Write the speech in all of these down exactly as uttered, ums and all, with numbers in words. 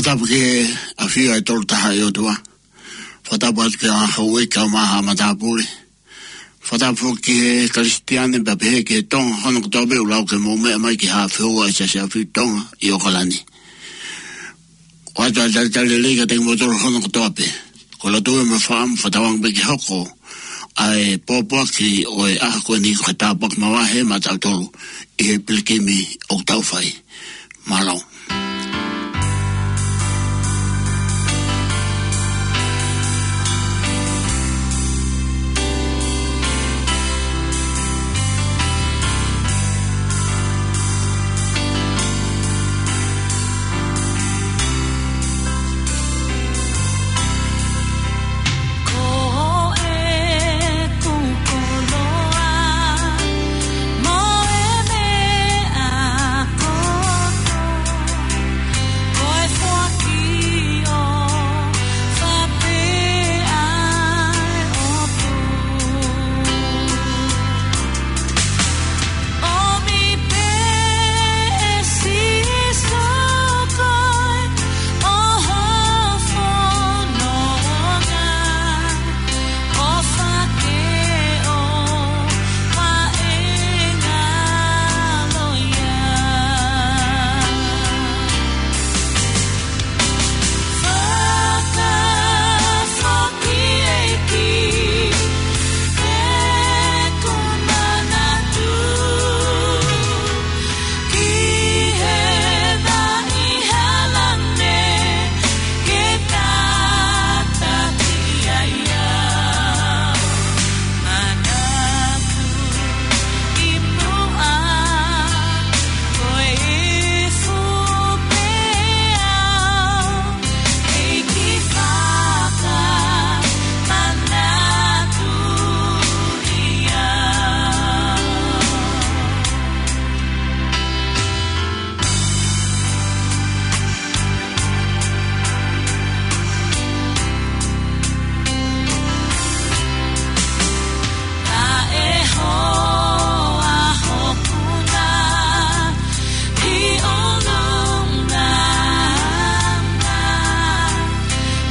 Tapu ki he ʻafio ʻa e Tolu Tahaʻi ʻOtua. Fakatapu atu ki he houʻeiki kaeʻumaʻā haʻa matāpule. Fakatapu foki ki he Kalisitiane pea pehē ki he Tonga hono kotoa pē ʻoku lau ke mou meʻa mai ki he Haʻa Feua ʻa e Siasi ʻAfio Tonga ʻi ʻOkalani. ʻOatu ʻa e talitali lelei kiate kimoutolu hono kotoa pē. Ko e lotu mo e fakaʻamu fakatauange pē ke hoko ʻa e pōpoaki ʻo e ʻaho ko eni ko e tāpuaki makehe maʻatautolu ʻi he pilikimi ʻoku tau fai. Mālō. Ko e koloa mo e meʻa kotoa, ko e foaki ʻofa pē ʻa e ʻOtua. ʻOmi pē ʻe Sīsū koe ʻo ho fononga, ʻofa ke ʻofa e ngalo ia. Fakafoki ʻEiki, ʻeku manatu ki he vaʻi hala ne ke tataki ai au. Manatu ʻi muʻa, ko e ifu pē au, ʻEiki fakamanatu ia. Taʻehoa hoku nā ʻi ʻolunga na,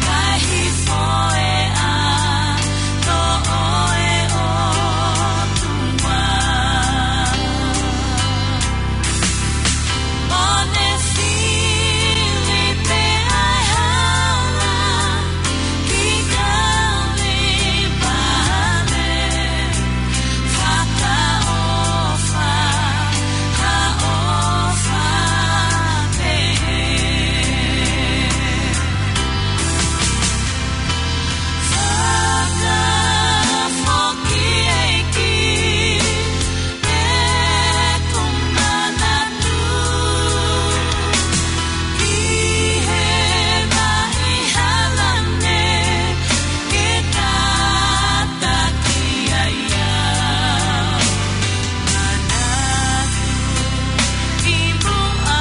kae hifo e ʻato ʻo e ʻOtua. ʻO ne fili pē ʻa e hala ki Kalevale, fakaʻofa, fakaʻofa pehē. Fakafoki ʻEiki, ʻeku manatu ki he vaʻi hala ne ke tataki ai au. Manatu ʻi muʻa,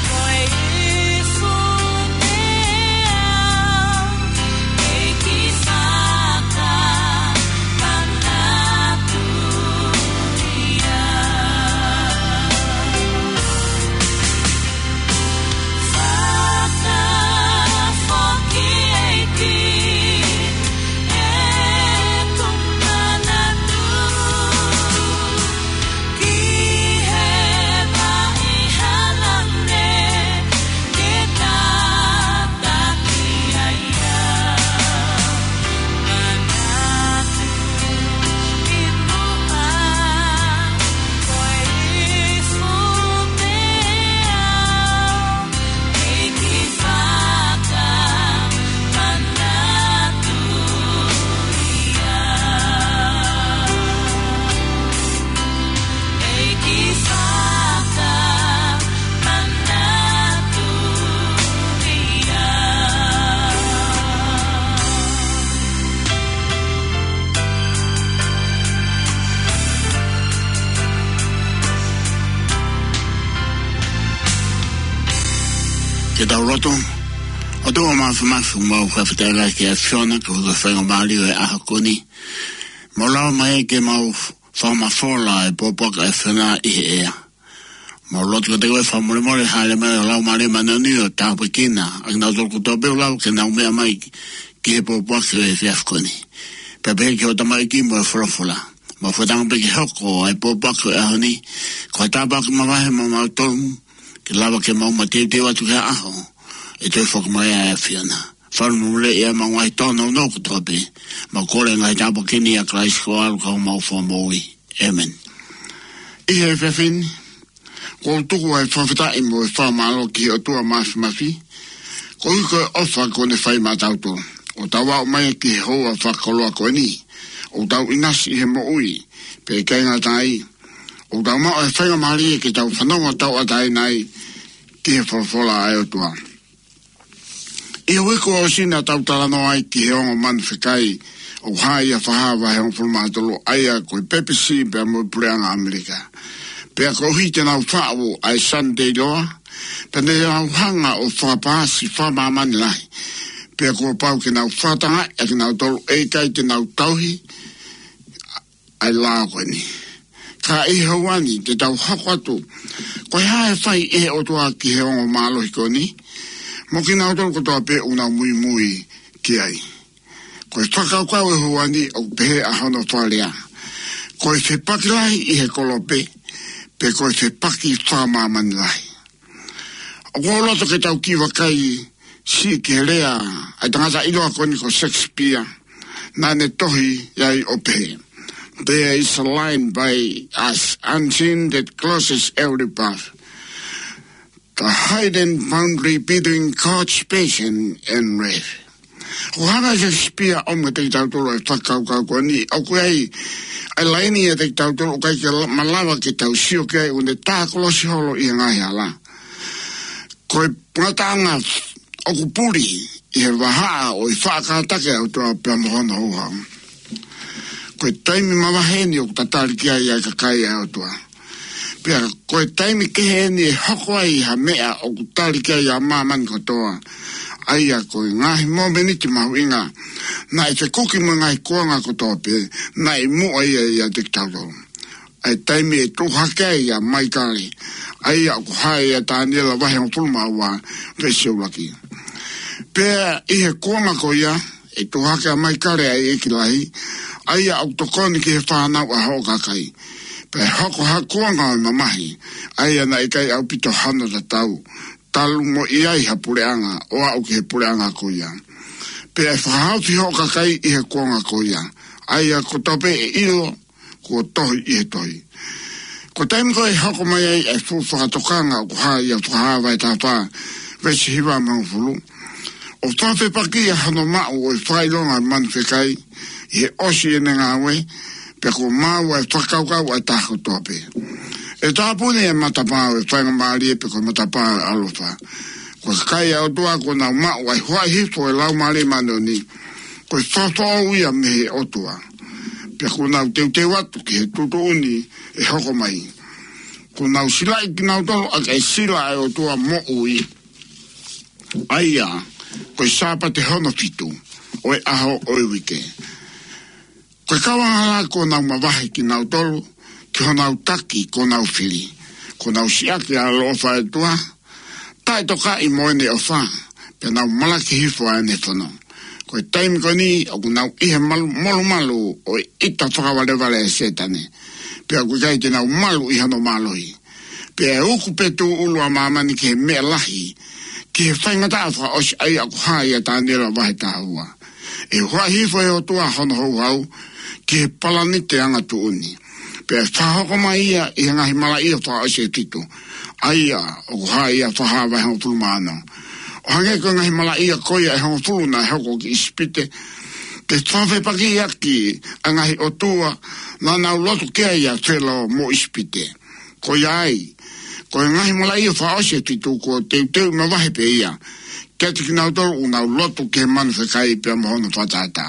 ko e ifu pē au, ʻEiki fakamanatu ia. Fakafoki ʻEiki, ʻeku manatu ki he vaʻi hala ne ke tataki ai au. Manatu ʻi muʻa, ko e ifu pē au, ʻEiki fakamanatu ia. ʻEiki fakamanatu ia. Ke tau lotu. ʻOtua Māfimafi, ʻoku mau fakafetaʻi lahi ki he ʻAfiona koeʻuhi ko e faingamālie ʻo e ʻaho ko eni. Mau lava mai ke mau fakamafola e pōpoaki ʻa e ʻAfiona ʻi he ʻea. Mau lotu kiate koe fakamolemole, hāʻele mai ho Laumālie Māʻoniʻoni ʻo tāpuekina ʻa kinautolu kotoa pē ʻoku lava ke nau meʻa mai ki he pōpoaki ʻo e efiafi ko eni. Pea pehē ki hoʻo tamaiki mo e folofola. Mau fakatauange pē ke hoko ʻa e pōpoaki ʻo e ʻaho ni ko ha tāpuaki mavahe maʻa mautolu, ke lava ke mau mateuteu atu ki he ʻaho ʻe toe foki mai ai ʻa e ʻAfiona. Fakamolemoleʻi ʻa e mau ngaahi tōnounou kotoa pē. Mau kole ngaahi tāpuaki ni ʻia Kalaisi ko ho ʻAlo ka ko homau Fakamoʻui. ʻĒmeni. ʻI he efiafi ni, ʻoku ou tuku ʻa e fakafetaʻi mo e fakamālō ki he ʻOtua Māfimafi, koeʻuhi ko e ʻofa kuo ne fai maʻatautolu, ʻo tau aʻu mai ki he houa fakakoloa ko eni, ʻo tau ʻinasi ʻi he moʻui, pea ʻikai ngata ai, ʻo tau maʻu ʻa e faingamālie ke tau fanongo tauʻatāina ai ki he folofola ʻa e ʻOtua. ʻI he uike kuo ʻosi naʻa tau talanoa ai ki he ongo manu fekai ʻoku hā ʻia Fakahā vahe hongofulu mā tolu, ʻa ia ko e P P C pea mo e Puleʻanga ʻAmelika. Pea koeʻuhi te nau faʻu ʻa e Sunday Law, pea ne nau hanga ʻo fakapaasi fakamāmani lahi. Pea kuo pau ke nau fakatangaʻi ʻa kinautolu ʻe ʻikai te nau tauhi ʻa e lao ko eni. Ka ʻi he houa ni te tau hoko atu, ko e hā ʻe fai ʻe he ʻOtua ki he ongo mālohi ko eni, mo kinautolu kotoa pē ʻoku nau muimui ki ai. Ko e fakakaukau ʻo e houa ni ʻoku pehē ʻa hono fakalea: ko e fepaki lahi ʻi he kolope, pe ko e fepaki fakamāmani lahi. ʻOku ou loto ke tau kiʻi vakai siʻi ki he lea ʻa e tangata ʻiloa ko eni ko Shakespeare, naʻa ne tohi ai ʻo pehē: "There is a line by us unseen that closes every path. The hidden boundary between God's patience and wrath." ʻOku hanga ʻe Shakespeare ʻo ʻomi kiate kitautolu ʻa e fakakaukau ko eni, ʻoku ʻi ai ʻa e laini ʻiate kitautolu ʻoku ʻikai ke la-, malava ke tau sio ki ai, ʻoku ne tākolosi holo ʻi he ngaahi hala. Ko e ngataʻanga ʻoku puli ʻi he vahaʻa ʻo e faʻa kātaki ʻa e ʻOtua pea mo hono houhau. Ko e taimi mavahe eni ʻoku tatali ki ai ʻa e kakai ʻa e ʻOtua. Pea ko e taimi kehe eni ʻe hoko ai ha meʻa ʻoku tali ki ai ʻa māmani kotoa. ʻA ia ko e ngaahi momeniti mahuʻinga naʻe fekuki mo e ngaahi kuonga kotoa pē, naʻe muʻa ia ʻiate kitautolu. ʻA e taimi ʻe tuʻu hake ai ʻa Maikale, ʻa ia ʻoku hā ʻia Taniela vahe hongofulu mā ua, veesi ʻuluaki. Pea ʻi he kuonga ko ia, ʻe tuʻu hake ʻa Maikale ʻa e ʻEiki Lahi, ʻa ia ʻoku tokoni ki he fānau ʻa hoʻo kakai. Pea ʻe hoko ha kuonga ʻo e mamahi, ʻa ia naʻe ʻikai ʻaupito hano tatau, talu mo ʻi ai ha puleʻanga ʻo aʻu ki he puleʻanga ko ia. Pea ʻe fakahaofi hoʻo kakai ʻi he kuonga ko ia, ʻa ia kotoa pē ʻe ʻilo kuo tohi ʻi he tohi. Ko e taimi ko ē ʻe hoko mai ai ʻa e fuʻu fakatokanga ʻoku hā ʻia Fakahā vahe taha fā, veesi hiva mo e hongofulu, ʻo fakafepaki ʻa hono maʻu ʻo e fakaʻilonga ʻo e manu fekai ʻi he ʻosi ʻene ngāue, pea kuo maau ʻa e fakakaukau ʻa e taha kotoa pē. ʻE tāpuni ʻa e matapā ʻo e faingamālie pe ko e matapā ʻo e ʻaloʻofa. Ko e kakai ʻa e ʻOtua kuo nau maʻu ʻa e huaʻi hifo ʻo e Laumālie Māʻoniʻoni, ko e fakafoʻou ia mei he ʻOtua. Pea kuo nau teuteu atu ki he tuʻutuʻuni ʻe hoko mai. Kuo nau silaʻi kinautolu ʻaki ʻa e sila ʻa e ʻOtua moʻui, ʻa ia ko e Sāpate hono fitu ʻo e ʻaho ʻo e uike. Ko e kau angahala kuo nau mavahe kinautolu ki honau taki kuo nau fili. Kuo nau siʻaki ʻa e ʻaloʻofa ʻa e ʻOtua, taʻetokaʻi mo ʻene ʻofa, pea nau malaki hifo ʻa ʻene fono. Ko e taimi ko eni ʻoku nau ʻi he malu-, molumalu ʻo e ʻita fakavalevale ʻa Sētane, pea ʻoku ʻikai te nau malu ʻi hono mālohi. Pea ʻe uku pē tūʻulu ʻa māmani ki he meʻa lahi, ki he faingataʻa fakaʻosi, ʻa ia ʻoku hā ʻia Taniela vahe taha ua. ʻE huaʻi hifo ʻe he ʻOtua hono houhau ki he palanite angatuʻuni. Pea ʻe fakahoko mai ia ʻi he ngaahi malaʻia fakaʻosi ʻe fitu, ʻa ia ʻoku hā ʻia Fakahā vahe hongofulu mā ono. ʻO hangē ko e ngaahi malaʻia ko ia ʻe hongofulu naʻe hoko ki ʻIsipite, ke fakafepaki ʻaki ʻa e ngaahi ʻotua naʻa nau lotu ki ai ʻa Felo mo ʻIsipite. Ko ia ai, ko e ngaahi malaʻia fakaʻosi ʻe fitu kuo teuteu mavahe pē ia kiate kinautolu ʻoku nau lotu ki he manu fekai pea mo hono fakatātā.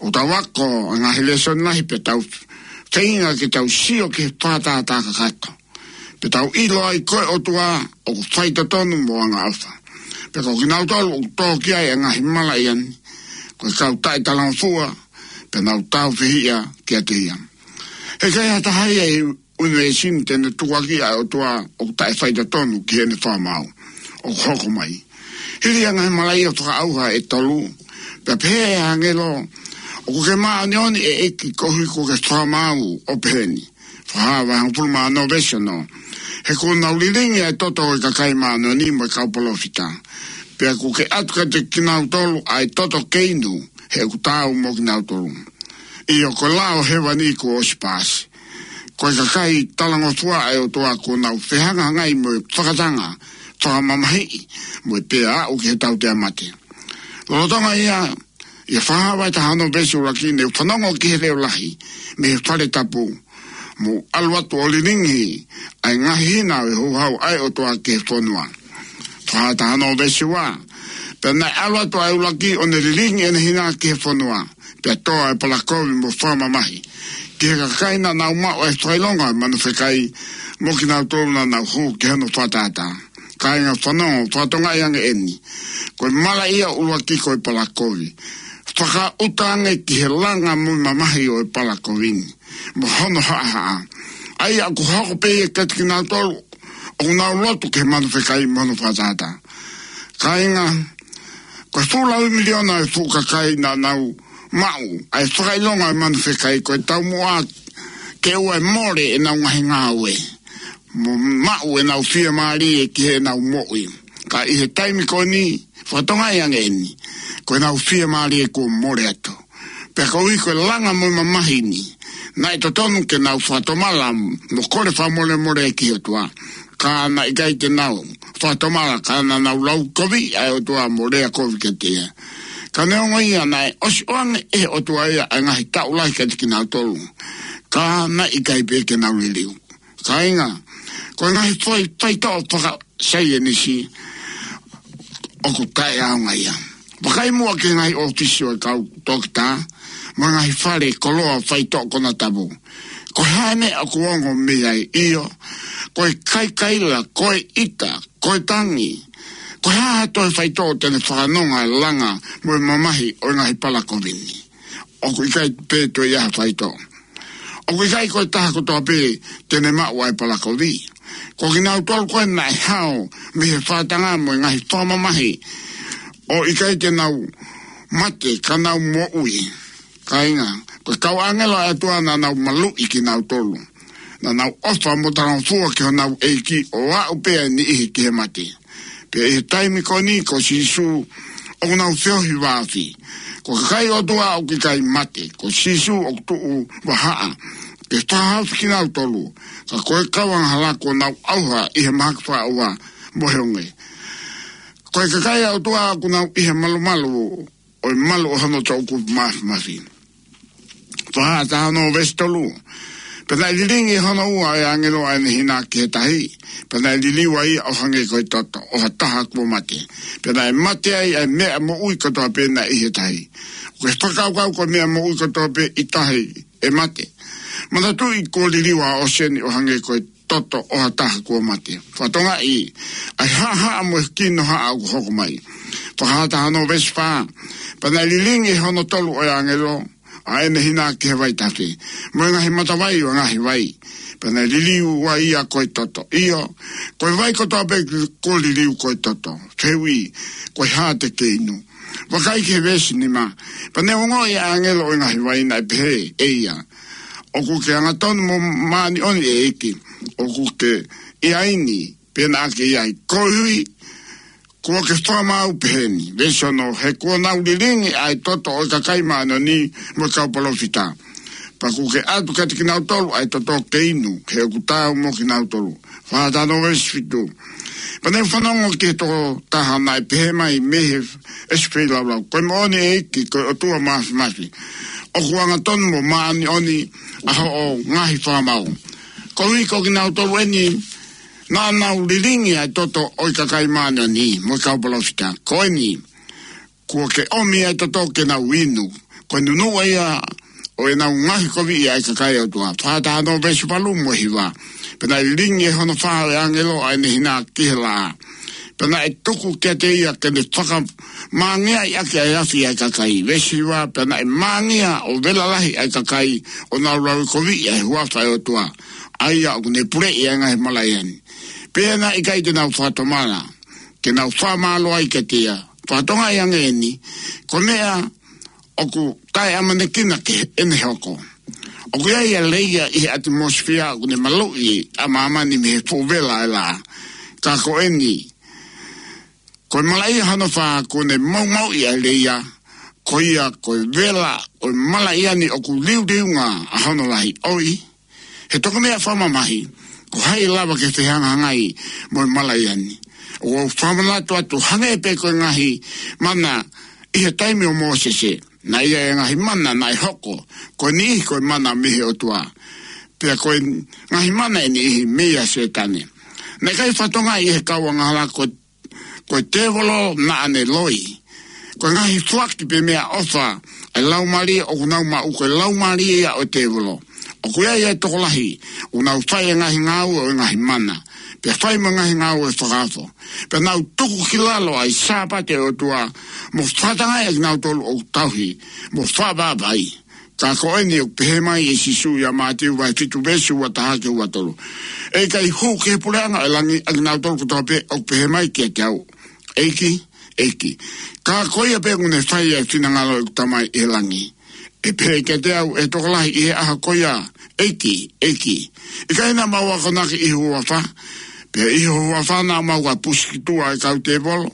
ʻOku tau ako ʻa e ngaahi lēsoni lahi pea tau feinga ke tau sio ki he fakatātā kakato. Pea tau ʻilo ai ko e ʻOtua ʻoku faitotonu mo angaʻofa. Pea ko kinautolu ʻoku tō ki ai ʻa e ngaahi malaʻia ni, ko e kau taʻetalangofua, pea nau tāufehiʻa kiate ia. ʻE ʻikai ha taha ia ʻi ʻunivēsi ni te ne tukuakiʻi ʻa e ʻOtua ʻoku taʻefaitotonu ki heʻene fakamaau ʻoku hoko mai. Hili ʻa e ngaahi malaʻia fakaʻauha ʻe tolu, pea pehē ʻe he ʻāngelo, ʻoku ke māʻoniʻoni ʻEiki koeʻuhi kuo ke fakamaau ʻo pehē ni. Fakahā vahe hongofulu mā ono veesi ono. He kuo nau lilingi ʻa e toto ʻo e kakai māʻoniʻoni mo e kau palōfita. Pea kuo ke ʻatu kiate kinautolu ʻa e toto ke inu, he ʻoku taau mo kinautolu. ʻIo, ko e lao ʻo hēvani kuo ʻosi paasi. Ko e kakai talangofua ʻa e ʻOtua kuo nau fehangahangai mo e fakatanga, fakamamahiʻi, mo e pea aʻu ki he tautea mate. Lolotonga ia, ʻi he Fakahā vahe taha ono veesi ʻuluaki, ne u fanongo ki he leʻo lahi mei he fale tapu, mou ʻalu atu ʻo lilingi ʻa e ngaahi hina ʻo e houhau ʻa e ʻOtua ki he fonua. Fakahā taha ono veesi ua. Pea naʻe ʻalu atu ʻa e ʻuluaki ʻo ne lilingi ʻene hina ki he fonua, pea tō ʻa e palakovi mo fakamamahi ki he kakai naʻa nau maʻu ʻa e fakaʻilonga ʻo e manu fekai, mo kinautolu naʻa nau hū ki hono fakatātā. Kāinga, fanongo, fakatokangaʻi ange eni. Ko e malaʻia ʻuluaki ko e palakovi. Fakaʻuta ange ki he langa mo e mamahi ʻo e palakovi ni, mo hono haʻahaʻa. ʻA ia ʻoku hoko pē ia kiate kinautolu ʻoku nau lotu ki he manu fekai mo hono fakatātā. Kāinga, ko e fuʻu laui miliona ʻa e fuʻu kakai naʻa nau maʻu ʻa e fakaʻilonga ʻo e manu fekai, ko e taumuʻa ke ʻoua ʻe mole ʻenau ngaahi ngāue, mo maʻu ʻenau fiemālie ki heʻenau moʻui. Ka ʻi he taimi ko eni, fakatokangaʻi ange eni, ko ʻenau fiemālie kuo mole atu. Pea koeʻuhi ko e langa mo e mamahi ni, naʻe totonu ke nau fakatomala mo kole fakamolemole ki he ʻOtua. Ka naʻe ʻikai te nau fakatomala, ka naʻa nau laukoviʻi ʻa e ʻOtua mo lea kovi kiate ia. Ka neongo ia, naʻe ʻosi ʻoange ʻe he ʻOtua ia ʻa e ngaahi taʻu lahi kiate kinautolu. Ka naʻe ʻikai pē ke nau liliu. Kāinga, ko e ngaahi fai, faitoʻo fakasaienisi ʻoku taʻeʻaonga ia. Vakai muʻa ki he ngaahi ʻōfisi ʻo e kau toketā, mo e ngaahi fale koloa faitoʻo konatapu. Ko e hā e meʻa ʻoku ongo mei ai? ʻIo, ko e kaikaila, ko e ʻita, ko e tangi. Ko e hā ha toe faitoʻo te ne fakanonga e langa mo e mamahi ʻo e ngaahi palakovi ni? ʻOku ʻikai pē toe ʻi ai ha faitoʻo. ʻOku ʻikai ko e taha kotoa pē te ne maʻu ʻa e palakovi. Ko kinautolu ko ē naʻe hao mei he fakatanga mo e ngaahi fakamamahi, ʻo ʻikai te nau mate ka nau moʻui. Kāinga, ko e kau ʻāngelo ʻa e ʻOtua naʻa nau maluʻi kinautolu. Naʻa nau ʻofa mo talangofua ki honau ʻEiki ʻo aʻu pē ʻa e niʻihi ki he mate. Pea ʻi he taimi ko eni ko Sīsū ʻoku nau feohi vāofi. Ko e kakai ʻo e ʻOtua ʻoku ʻikai mate, ko Sīsū ʻoku tuʻu vahaʻa ke fakahaofi kinautolu. Ka ko e kau angahala kuo nau ʻauha ʻi he mahaki fakaʻauha mo e honge. Ko e kakai ʻa e ʻOtua ʻoku nau ʻi he malumalu ʻo e malu ʻo hono toʻukupu māfimafi. Fakahā taha ono veesi tolu. Pea naʻe lilingi ʻe hono ua ʻa e ʻāngelo ʻa ʻene hina ki he tahi. Pea naʻe liliu ʻa ia ʻo hangē ko e toto ʻo ha taha kuo mate. Pea naʻe mate ai ʻa e meʻa moʻui kotoa pē naʻe ʻi he tahi. Ko e fakakaukau ko e meʻa moʻui kotoa pē ʻi tahi ʻe mate. Manatuʻi kuo liliu ʻa ʻOseni ʻo hangē ko e toto ʻo ha taha kuo mate. Fakatokangaʻi ʻa e haʻahaʻa mo e kinohaʻa ʻoku hoko mai. Fakahā taha ono veesi fā. Pea naʻe lilingi ʻe hono tolu ʻa e ʻāngelo ʻa ʻene hina ki he vaitafe, mo e ngaahi matavai ʻo e ngaahi vai. Pea naʻe liliu ʻa ia ko e toto. ʻIo, ko e vai kotoa pē kuo liliu ko e toto. Fehuʻi, ko e hā te ke inu? Vakai ki he veesi nima. Pea naʻe ongoʻi ʻa e ʻāngelo ʻo e ngaahi vai naʻe pehē ʻe ia, ʻOku ke angatonu mo māʻoniʻoni ʻEiki, ʻoku ke ʻi ai ni, pea naʻa ke ʻi ai, koeʻuhi kuo ke fakamaau pehē ni. Veesi ono. He kuo nau lilingi ʻa e toto ʻo e kakai māʻoniʻoni mo e kau palōfita. Pea kuo ke ʻatu kiate kinautolu ʻa e toto ke inu, he ʻoku taau mo kinautolu. Fakahā taha ono veesi fitu. Pea naʻa ku fanongo ki he tokotaha naʻe pehē mai mei he ʻesi feilaulau, Ko e moʻoni ʻEiki, ko e ʻOtua Māfimafi, ʻoku angatonu mo māʻoniʻoni ʻa hoʻo ngaahi fakamaau, koeʻuhi ko kinautolu eni naʻa nau lilingi ʻa e toto ʻo e kakai māʻoniʻoni mo e kau palōfita. Ko eni, kuo ke ʻomi ʻa e toto ke nau inu. Ko e nunuʻa ia ʻo ʻenau ngaohikoviʻi ʻa e kakai ʻa e ʻOtua. Fakahā taha ono veesi valu mo e hiva. Pea naʻe lilingi ʻe hono fā ʻo e ʻāngelo ʻa ʻene hina ki he laʻā. Pea naʻe tuku kiate ia ke ne fakamāngiaʻi ʻaki ʻa e afi ʻa e kakai. Veesi hiva. Pea naʻe māngia ʻo vela lahi ʻa e kakai ʻo nau laukoviʻi ʻa e huafa ʻo e ʻOtua, ʻa ia ʻoku ne puleʻi ʻa e ngaahi malaʻia ni. Pea naʻe ʻikai te nau fakatomala ke nau fakamālō ai kiate ia. Fakatokangaʻi ange eni, ko e meʻa ʻoku taʻeʻamanekina ke ʻene hoko. ʻOku ʻi ai ʻa e leia ʻi he ʻatimosifia ʻoku ne maluʻi ʻa māmani mei he fuʻu vela ʻo e laʻā. Ka ko eni, ko e malaʻia hono fā ʻoku ne maumauʻi ʻa e leia, ko ia ko e vela ʻo e malaʻia ni ʻoku liuliunga ʻa hono lahi. ʻOi, he tokonia fakamamahi, ko hai ʻe lava ke fehangahangai mo e malaʻia ni? ʻOku ou fakamanatu atu hangē pē ko e ngaahi mana ʻi he taimi ʻo Mōsese, naʻe ʻi ai e ngaahi mana naʻe hoko, ko e niʻihi ko e mana mei he ʻOtua, pea ko e ngaahi mana ʻe niʻihi mei a Sētane. Naʻe ʻikai fakatokangaʻi ʻe he kau angahala ko, ko e tēvolo naʻa ne loi. Ko e ngaahi foaki pē meʻaʻofa ʻa e laumālie ʻoku nau maʻu, ko e laumālie ia ʻo e tēvolo. ʻOku ʻi ai e tokolahi ʻoku nau fai e ngaahi ngāue ʻo e ngaahi mana, pea fai mo e ngaahi ngāue fakaofo, pea nau tuku ki lalo ʻa e Sāpate ʻo e ʻOtua, mo fakatangaʻi ʻa kinautolu ʻoku tauhi mo fakavavai. Ka ko eni ʻoku pehē mai ʻe Sīsū ʻia Mātiu vahe fitu veesi ua taha ki he ua tolu: ʻE ʻikai hū ki he puleʻanga ʻo e langi ʻa kinautolu kotoa pē ʻoku pehē mai kiate au, ʻEiki, ʻEiki, ka ko ia pē ʻoku ne fai ʻa e finangalo ʻo ʻeku Tamai ʻi he langi. ʻE pehē kiate au ʻe he tokolahi ʻi he ʻaho ko ia, ʻEiki, ʻEiki, ʻikai naʻa mau akonaki ʻi ho huafa, pea ʻi ho huafa naʻa mau pusi ki tuʻa ʻa e kau tēvolo,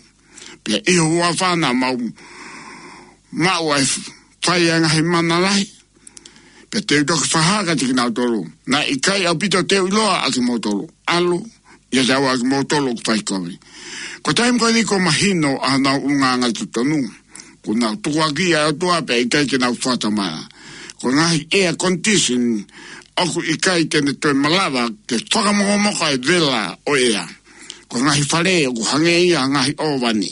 pea ʻi ho huafa naʻa mau maʻu ʻa e fai ʻa e ngaahi mana lahi? Pea te u toki fakahā kiate kinautolu, naʻe ʻikai ʻaupito te u ʻiloa ʻa kimoutolu. ʻAlu, ʻiate au ʻa kimoutolu ʻoku fai kovi. Ko e taimi ko eni kuo mahino ʻa honau ʻulungaanga totonu. Kuo nau tukuakiʻi ʻa e ʻOtua pea ʻikai ke nau fakatomala. Ko e ngaahi air condition ʻoku ʻikai te ne toe malava ke fakamokomoka e vela ʻo e ʻea. Ko e ngaahi fale ʻoku hangē ia ha ngaahi ʻōvani.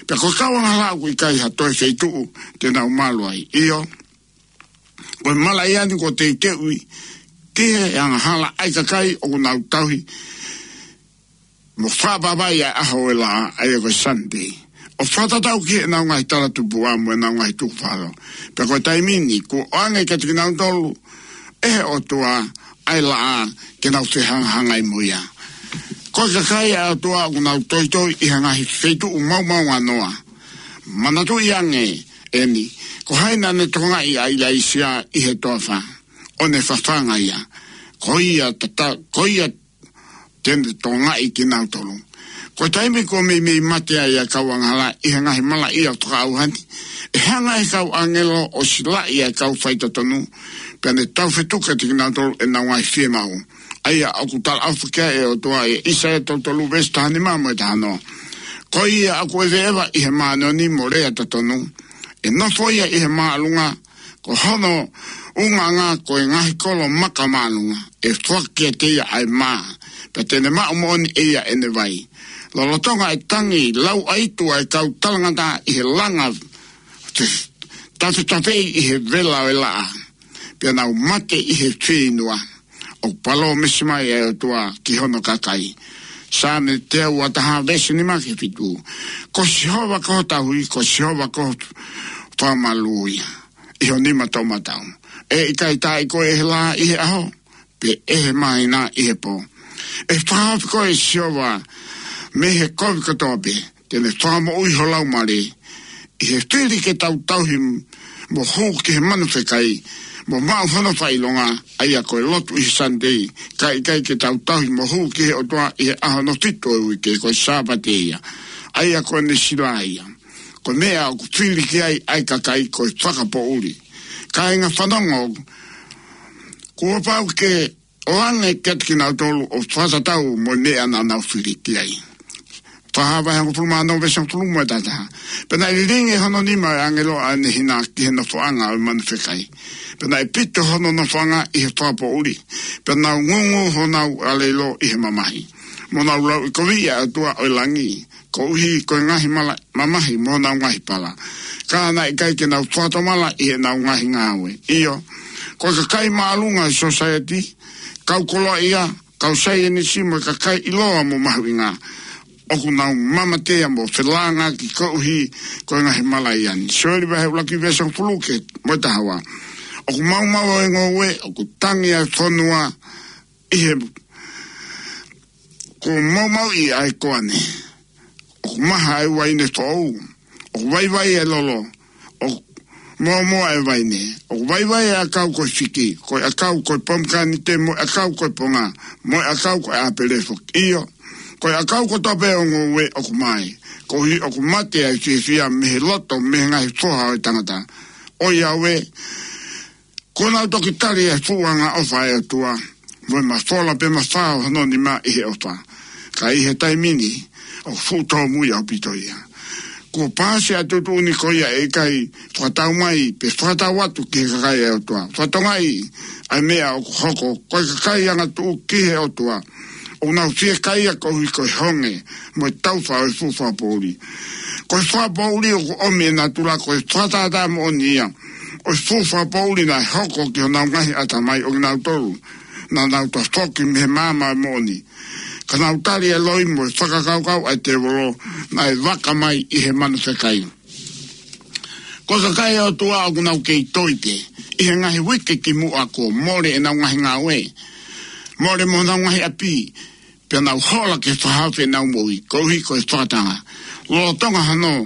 Pea ko e kau angahala ʻoku ʻikai ha toe feituʻu te nau malu ai. ʻIo, ko e malaʻia ni kuo teuteuʻi ki he angahala ʻa e kakai ʻoku nau tauhi mo fakavavai ʻa e ʻaho ʻo e laʻā, ʻa ia ko e Sunday, ʻo fakatatau ki heʻenau ngaahi talatupuʻa mo ʻenau ngaahi tukufakaholo. Pea ko e taimi ni kuo ʻoange kiate kinautolu ʻe he ʻOtua ʻa e laʻā ke nau fehangahangai mo ia. Ko e kakai ʻa e ʻOtua ʻoku nau toitoi ʻi ha ngaahi feituʻu maomaonganoa. Manatuʻi ange eni, ko hai naʻa ne tokangaʻi ʻa ʻIlaisiā ʻi he toafa ʻo ne fafanga ia? Ko ia tata, ko ia te ne tokangaʻi kinautolu. Ko e taimi kuo meimei mate ai ʻa e kau angahala ʻi he ngaahi malaʻia fakaʻauha ni, ʻe hanga ʻe he kau ʻāngelo ʻo silaʻi ʻa e kau faitotonu, pea ne taufetuka kiate kinautolu ʻenau ngaahi fiemaʻu, ʻa ia ʻoku talaʻofa ki ai ʻa e ʻOtua ʻia ʻĪsaia tolu tolu veesi taha nima mo e taha ono: Ko ia ʻoku ʻeveʻeva ʻi he māʻoniʻoni mo lea totonu, ʻe nofo ia ʻi he māʻolunga, ko hono ʻulungaanga ko e ngaahi kolo maka māʻolunga. ʻE foaki kiate ia ʻa e mā, pea te ne maʻu moʻoni ʻe ia ʻene vai. Lolotonga e tangi lauʻaitu ʻa e kau talangataʻa ʻi he langa te-, tafetafeʻi ʻi he vela ʻo e laʻā, pea nau mate ʻi he fieinua. ʻOku palōmesi mai ʻa e ʻOtua ki hono kakai. Saame teau ua taha veesi nima ki he fitu: Ko Sihova ko ho tauhi, ko Sihova ko ho fakamalū ia ʻi ho nima toʻomataʻu. ʻE ʻikai taaʻi koe ʻe he lā ʻi he ʻaho, pe ʻe he māhina ʻi he pō. ʻE fakahaofi koe ʻe Sihova mei he kovi kotoa pē. Te ne fakamoʻui ho laumālie. ʻI he fili ke tau tauhi mo hū ki he manu fekai, mo maʻu hono fakaʻilonga, ʻa ia ko e lotu ʻi he Sunday, ka ʻikai ke tau tauhi mo hū ki he ʻOtua ʻi he ʻaho hono fitu ʻo e uike, ko e Sāpate ia, ʻa ia ko ʻene sila ia. Ko e meʻa ʻoku fili ki ai ʻa e kakai ko e fakapoʻuli. Kāinga fanongo, kuo pau ke ʻoange kiate kinautolu ʻo fakatatau mo e meʻa naʻa nau fili ki ai. Fakahā vahe hongofulu mā ono veesi hongofulu mo e taha taha: Pea naʻe lilingi hono nima ʻo e ʻāngelo ʻa ʻene hina ki he nofoʻanga ʻo e manu fekai. Pea naʻe pito hono nofoʻanga ʻi he fakapoʻuli. Pea nau ngūngū honau ʻāleilo ʻi he mamahi, mo nau lauʻikoviʻi ʻa e ʻOtua ʻo e langi, koeʻuhi ko e ngaahi mala-, mamahi mo honau ngaahi pala. Ka naʻe ʻikai ke nau fakatomala ʻi heʻenau ngaahi ngāue. ʻIo, ko e kakai māʻolunga ʻi he sōsaieti, kau koloaʻia, kau saienisi mo e kakai ʻiloa mo mahuʻinga, ʻoku nau mamatea mo felāngaaki koeʻuhi ko e ngaahi malaʻia ni. Sioeli vahe ʻuluaki veesi hongofulu ki he mo e taha ua: ʻOku maumau ʻa e ngoue, ʻoku tangi ʻa e fonua, ʻi he kuo maumauʻi ʻa e koane, ʻoku maha ʻa e uaine foʻou, ʻoku vaivai ʻa e lolo, ʻoku mōmoa ʻa e vaine, ʻoku vaivai ʻa e ʻakau ko e fiki, ko e ʻakau ko e pomekanite, mo e ʻakau ko e ponga, mo e ʻakau ko e ʻāpele foki. ʻIo, ko e ʻakau kotoa pē ʻo e ngoue ʻoku mae, koeʻuhi ʻoku mate ʻa e fiefia mei he loto, mei he ngaahi foha ʻo e tangata. ʻOiauē, kuo nau toki tali ʻa e fuʻu angaʻofa ʻa e ʻOtua, mo e mafola pea mafao hono nima ʻi he ʻofa. Ka ʻi he taimi ni, ʻoku fuʻu tōmui ʻaupito ia. Kuo paasi ʻa e tuʻutuʻuni ko ia ʻe ʻikai fakatau mai, pe fakatau atu ki he kakai ʻa e ʻOtua. Fakatokangaʻi ʻa e meʻa ʻoku hoko, ko e kakai angatuʻu ki he ʻOtua, ʻoku nau fiekaia koeʻuhi ko e honge mo e taufa ʻo e fuʻu fakapoʻuli. Ko e fakapoʻuli ʻoku ʻomi ʻe natula ko e fakatātā moʻoni ia ʻo e fuʻu fakapoʻuli naʻe hoko ki honau ngaahi ʻatamai ʻo kinautolu naʻa nau toe foki mei he maama moʻoni, ka nau tali ʻa e loi mo e fakakaukau ʻa e tēvolo naʻe vaka mai ʻi he manu fekai. Ko e kakai ʻa e ʻOtua ʻoku nau kei toi pē ʻi he ngaahi uike kimuʻa kuo mole ʻenau ngaahi ngāue, mole mo honau ngaahi ʻapi, pea nau hola ke fakahaofi ʻenau moʻui, koeʻuhi ko e fakatanga. Lolotonga hono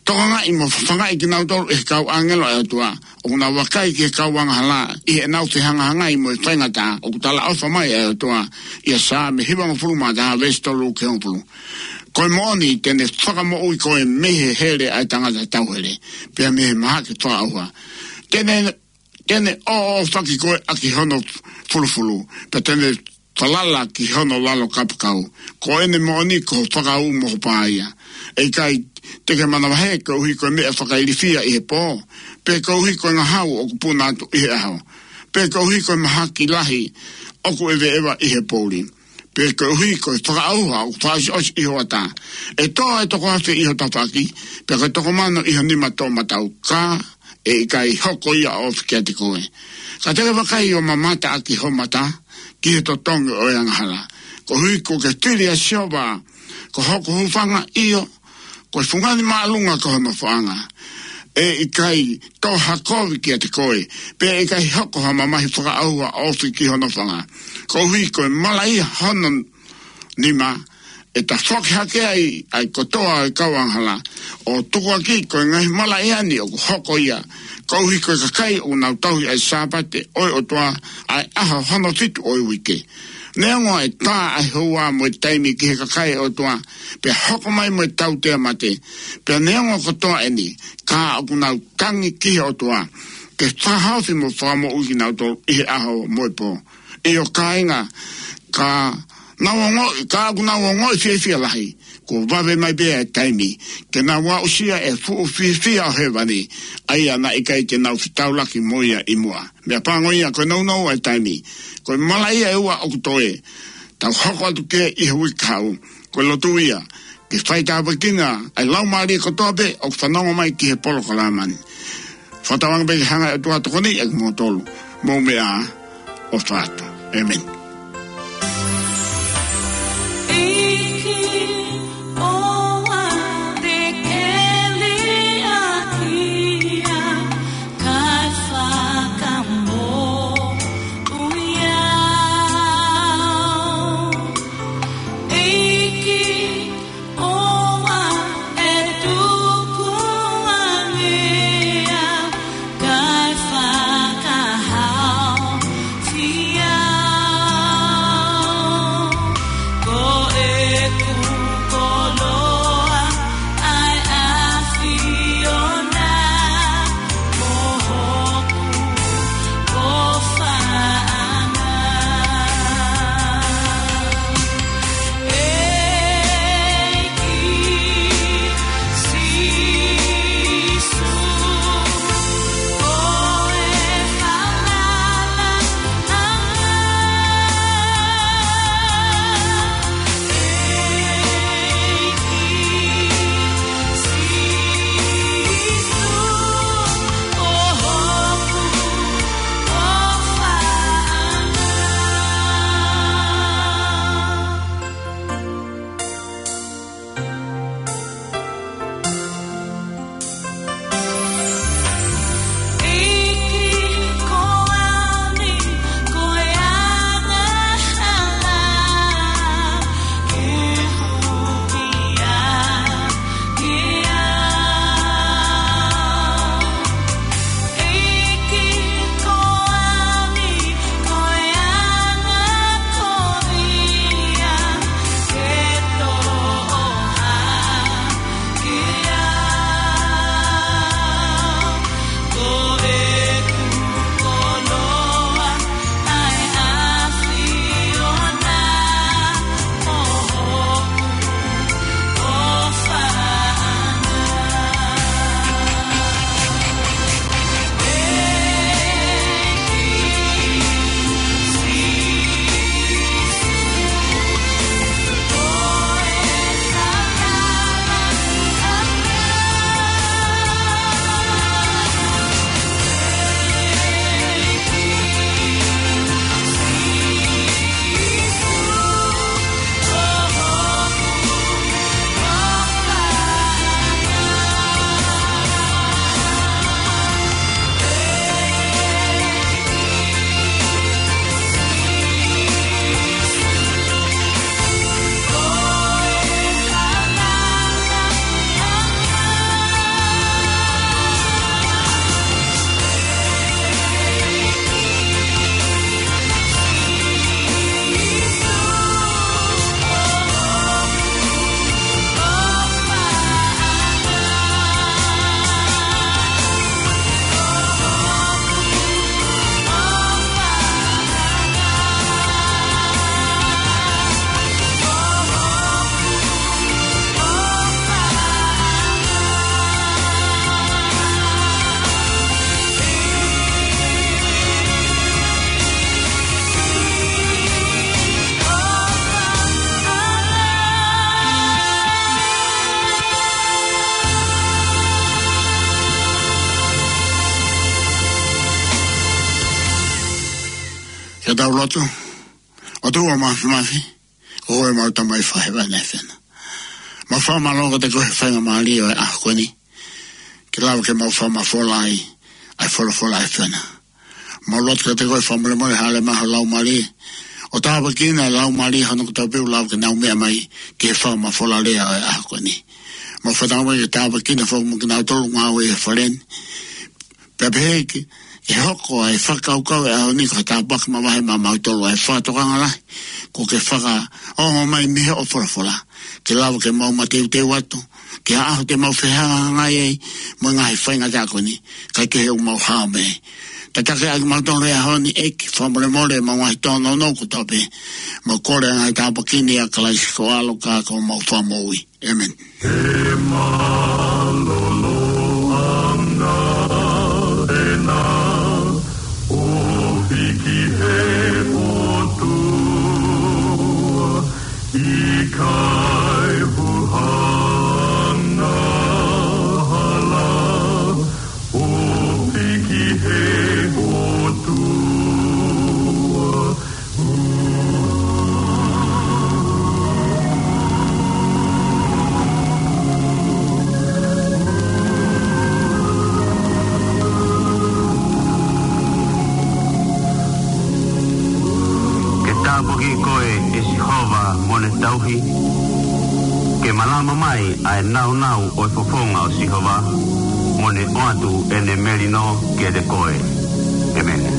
tokangaʻi mo fafangaʻi kinautolu ʻe he kau ʻāngelo ʻa e ʻOtua, ʻoku nau vakai ki he kau angahala ʻi heʻenau fehangahangai mo e faingataʻa, ʻoku talaʻofa mai ʻa e ʻOtua ʻia Saame hivangofulu mā taha veesi tolu ki he hongofulu: Ko e moʻoni te ne fakamoʻui koe mei he hele ʻa e tangata tauhele, pea mei he mahaki fakaʻauha. Te ne, te ne ʻōʻōfaki koe ʻaki hono fulufulu, pea te ne falala ki hono lalo kapakau. Ko ʻene moʻoni ko ho fakaū mo ho pā ia. ʻE ʻikai te ke manavahē koeʻuhi ko e meʻa fakailifia ʻi he pō, pe koeʻuhi ko e ngahau ʻoku puna atu ʻi he ʻaho, pe koeʻuhi ko e mahaki lahi ʻoku ʻeveʻeva ʻi he poʻuli, pe koeʻuhi ko e fakaʻauha ʻoku fakaʻosiʻosi ʻi ho ʻatā. ʻE tō ʻa e toko afe ʻi ho tafaʻaki, pea ko e toko mano ʻi ho nima toʻomataʻu, ka ʻe ʻikai hoko ia ʻo ofi kiate koe. Ka te ke vakai ʻo mamata ʻaki ho mata ki he totongi ʻo e angahala, koeʻuhi kuo ke fili ʻa Sihova ko hoku hūfanga, ʻio, ko e fungani māʻolunga ko ho nofoʻanga. ʻE ʻikai tō ha kovi kiate koe, pea ʻe ʻikai hoko ha mamahi fakaʻauha ʻo ofi ki ho nofoʻanga, koeʻuhi ko e malaʻia hono nima. ʻE tafoki hake ai ʻa e kotoa ʻo e kau angahala, ʻo tukuakiʻi ko e ngaahi malaʻia ni ʻoku hoko ia, koeʻuhi ko e kakai ʻoku nau tauhi ʻa e Sāpate ʻo e ʻOtua, ʻa e ʻaho hono fitu ʻo e uike. Neongo ʻe tā ʻa e houa mo e taimi ki he kakai ʻa e ʻOtua, pea hoko mai mo e tautea mate, pea neongo kotoa ʻeni, ka ʻoku nau tangi ki he ʻOtua ke fakahaofi mo fakamoʻui kinautolu ʻi he ʻaho mo e pō. ʻIo kāinga, ka nau ongoʻi, ka ʻoku nau ongoʻi fiefia lahi, kuo vave mai pē ʻa e taimi ke nau aʻusia e fuʻu fiefia ʻo hēvani, ʻa ia naʻe ʻikai te nau fetaulaki mo ia ʻi muʻa. Meʻapango ia, ko e nounou ʻa e taimi, ko e malaʻia ʻe ua ʻoku toe, tau hoko atu ki ai ʻi he uike kahaʻu. Ko e lotu ia ke faitāpuekina ʻa e laumālie kotoa pē ʻoku fanongo mai ki he polokalama ni. Fakatauange pē ke hanga ʻe he ʻOtua ʻo tokoniʻi kimoutolu. Mou meʻa ā, ʻofa atu. ʻĒmeni. ʻEiki, ʻoua te ke liʻaki au, kae fakamoʻui au. ʻEiki, ʻoua ʻe tukuange au, kae fakahaofi au. Ko ʻeku ko Tau lotu. ʻOtua Māfimafi, ko koe ʻemau Tamai Fakahēvani ʻa e ʻAfiona. Mau fakamālō kiate koe he faingamālie ʻo e ʻaho ko eni ke lava ke mau fakamafola ai ʻa e folofola ʻa e ʻAfiona. Mau lotu kiate koe fakamolemole, hāʻele mai ho Laumālie ʻo tāpuekina e laumālie hono kotoa pē ʻoku lava ke nau meʻa mai ki he fakamafola lea ʻo e ʻaho ko eni. Mau fakatauange ke tāpuekina foki mo kinautolu ngāue ʻi he fale ni. Pea pehē ki he hoko ʻa e fakakaukau ʻo e ʻaho ni ko ha tāpuaki makehe maʻamautolu, ʻa e fakatokanga lahi kuo ke fakaongo mai mei hoʻo folofola, ke lava ke mau mateuteu atu ki ha ʻaho te mau fehangahangai ai mo e ngaahi faingataʻa ko eni, kae kehe ʻoku mau hao mei ai. Tataki ʻa kimautolu he ʻaho ni, ʻEiki, fakamolemole ʻemau ngaahi tōnounou kotoa pē. Mau kole ʻa e ngaahi tāpuaki ni ʻia Kalaisi ko ho ʻAlo ka ko homau Fakamoʻui. ʻĒmeni. Ke mālōlō ʻa e ngaahi ʻofa ʻo e ʻOtua, ʻikai huhana hala ʻofa ki he ʻOtua. Ke tāpuakiʻi koe ʻe Sihova mo ne tauhi. Ke malama mai ʻa e nāunau ʻo e fofonga ʻo Sihova, mo ne ʻoatu ʻene melino kiate koe. ʻĒmeni.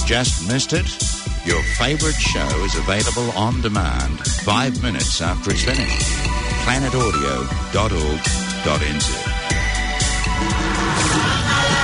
Just missed it? Your favorite show is available on demand five minutes after it's finished. planet audio dot org dot N Z.